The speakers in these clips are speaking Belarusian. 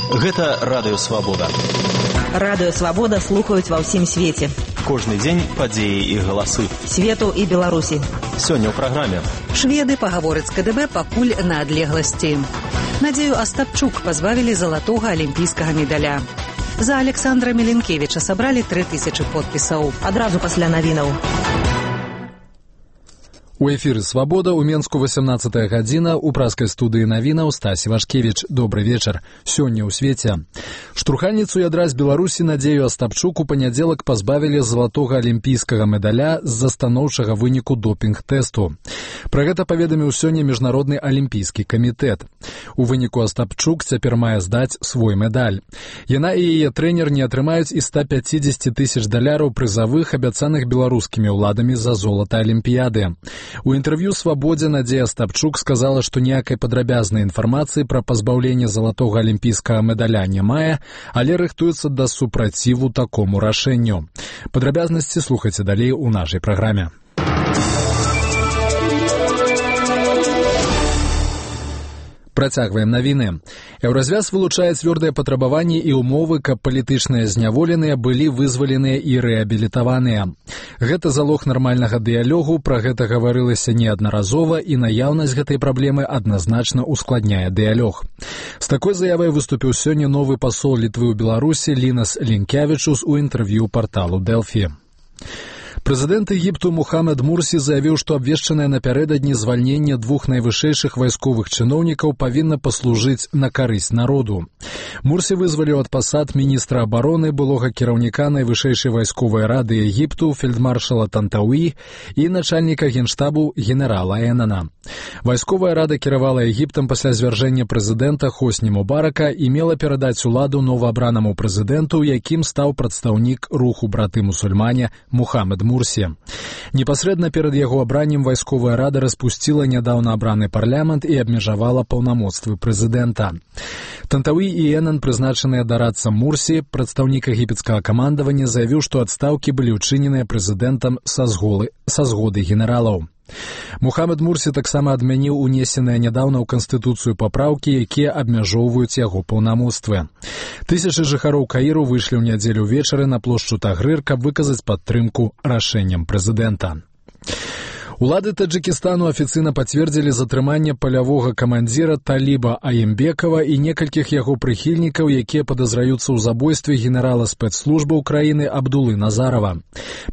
Гэта Радыё Свабода. Радыё Свабода слухаюць ва ўсім свеце. Кожны дзень падзеі і галасы. Свету і Беларусі. Сёння ў праграме. Шведы пагавораць з КДБ пакуль на адлегласці. Надзею Астапчук пазбавілі залатога алімпійскага медаля. За Александра Меленкевіча сабралі 3000 подпісаў. Адразу пасля навінаў. У эфіры «Свабода» у Менску 18 гадзіна, у праскай студыі навінаў Стась Івашкевіч. Добры вечар. Сёння ў свеце. Штурхальніцу ядра з Беларусі Надзею Астапчук у панядзелак пазбавілі залатога алімпійскага медаля з-за станоўчага выніку допінг-тэсту. Пра гэта паведаміў сёння Міжнародны алімпійскі камітэт. У выніку Астапчук цяпер мае здаць свой медаль. Яна і яе трэнер не атрымаюць і 150 000 даляраў прызавых, абяцаных беларускімі ўладамі за золата алімпіяды. У інтэрв'ю «Свабодзе» Надзея Астапчук сказала, што ніякай падрабязнай інфармацыі пра пазбаўленне залатога алімпійскага медаля не мае, але рыхтуецца да супраціву такому рашэнню. Падрабязнасці слухайце далей у нашай праграме. Працягваем навіны. Еўразвяз вылучае цвёрдыя патрабаванні і ўмовы, каб палітычныя зняволеныя былі вызваленыя і рэабілітаваныя. Гэта залог нармальнага дыялогу, пра гэта гаварылася неаднаразова, і наяўнасць гэтай праблемы адназначна ускладняе дыялог. З такой заявай выступіў сёння новы пасол Літвы ў Беларусі Лінас Лінкявічус у інтэрв'ю парталу Дэлфі. Прэзідэнт Егіпту Мухаммед Мурсі заявіў, што абвешчанае напярэдадні звальненне 2 найвышэйшых вайсковых чыноўнікаў павінна паслужыць на карысць народу. Мурсі вызваліў ад пасад міністра абароны, былога кіраўніка найвышэйшай вайсковай рады Егіпту фельдмаршала Тантауі і начальніка генштабу генерала Энана. Вайсковая рада кіравала Егіптам пасля звяржэння прэзідэнта Хосні Мубарака і мела перадаць уладу новаабранаму прэзідэнту, якім стаў прадстаўнік руху браты-мусульмане Мухаммед Мурсі. Непасрэдна перад яго абраннем вайсковая рада распусціла нядаўна абраны парламент і абмежавала паўнамоцтвы прэзідэнта. Тантауі і Энан, прызначаныя дарадцам Мурсі, прадстаўнік егіпецкага камандавання, заявіў, што адстаўкі былі ўчыненыя прэзідэнтам са згоды генералаў. Мухаммед Мурсі таксама адмяніў унесеныя нядаўна ў Канстытуцыю папраўкі, якія абмяжоўваюць яго паўнамоцтвы. Тысячы жыхароў Каіру выйшлі ў нядзелю ўвечары на плошчу Тагрыр, каб выказаць падтрымку рашэнням прэзідэнта. Улады Таджикистану афіцыйна пацвердзілі затрыманне палявога камандзіра Таліба Аембекова і некалькіх яго прыхільнікаў, якія падазраюцца ў забойстве генерала спецслужбаў краіны Абдулы Назарова.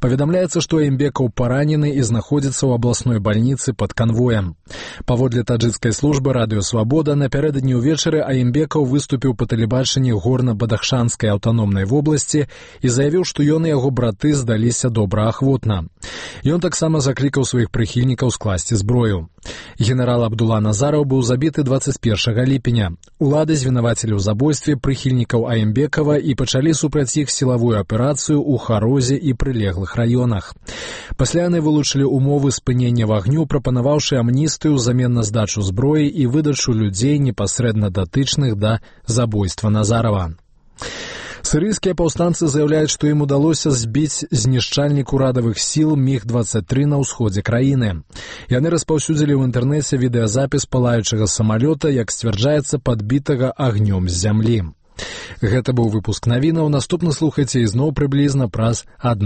Паведамляецца, што Аембекаў паранены і знаходзіцца ў абласной бальніцы пад канвоем. Паводле таджикскай службы Радыё Свабода, напярэдадні ўвечары Аембекаў выступіў па тэлебачанні горна-бадахшанскай аўтаномнай вобласці і заявіў, што ён і яго браты здаліся добраахвотна. Ён таксама заклікаў сваіх прыхільнікаў скласці зброю. Генерал Абдула Назараў быў забіты 21 ліпеня. Улады звінавацілі ў забойстве прыхільнікаў Аембекава і пачалі супраць іх сілавую аперацыю ў Харозе і прылеглых раёнах. Пасля яны вылучылі ўмовы спынення вагню, прапанаваўшы амністыю ўзамен на здачу зброі і выдачу людзей, непасрэдна датычных да забойства Назарава. Сірыйскія паўстанцы заяўляюць, што ім удалося збіць знішчальнік урадавых сіл МіГ-23 на ўсходзе краіны. Яны распаўсюдзілі ў інтэрнэце відэазапіс палаючага самалёта, як сцвярджаецца, падбітага агнём з зямлі. Гэта быў выпуск навінаў. Наступны слухайце ізноў прыблізна праз 1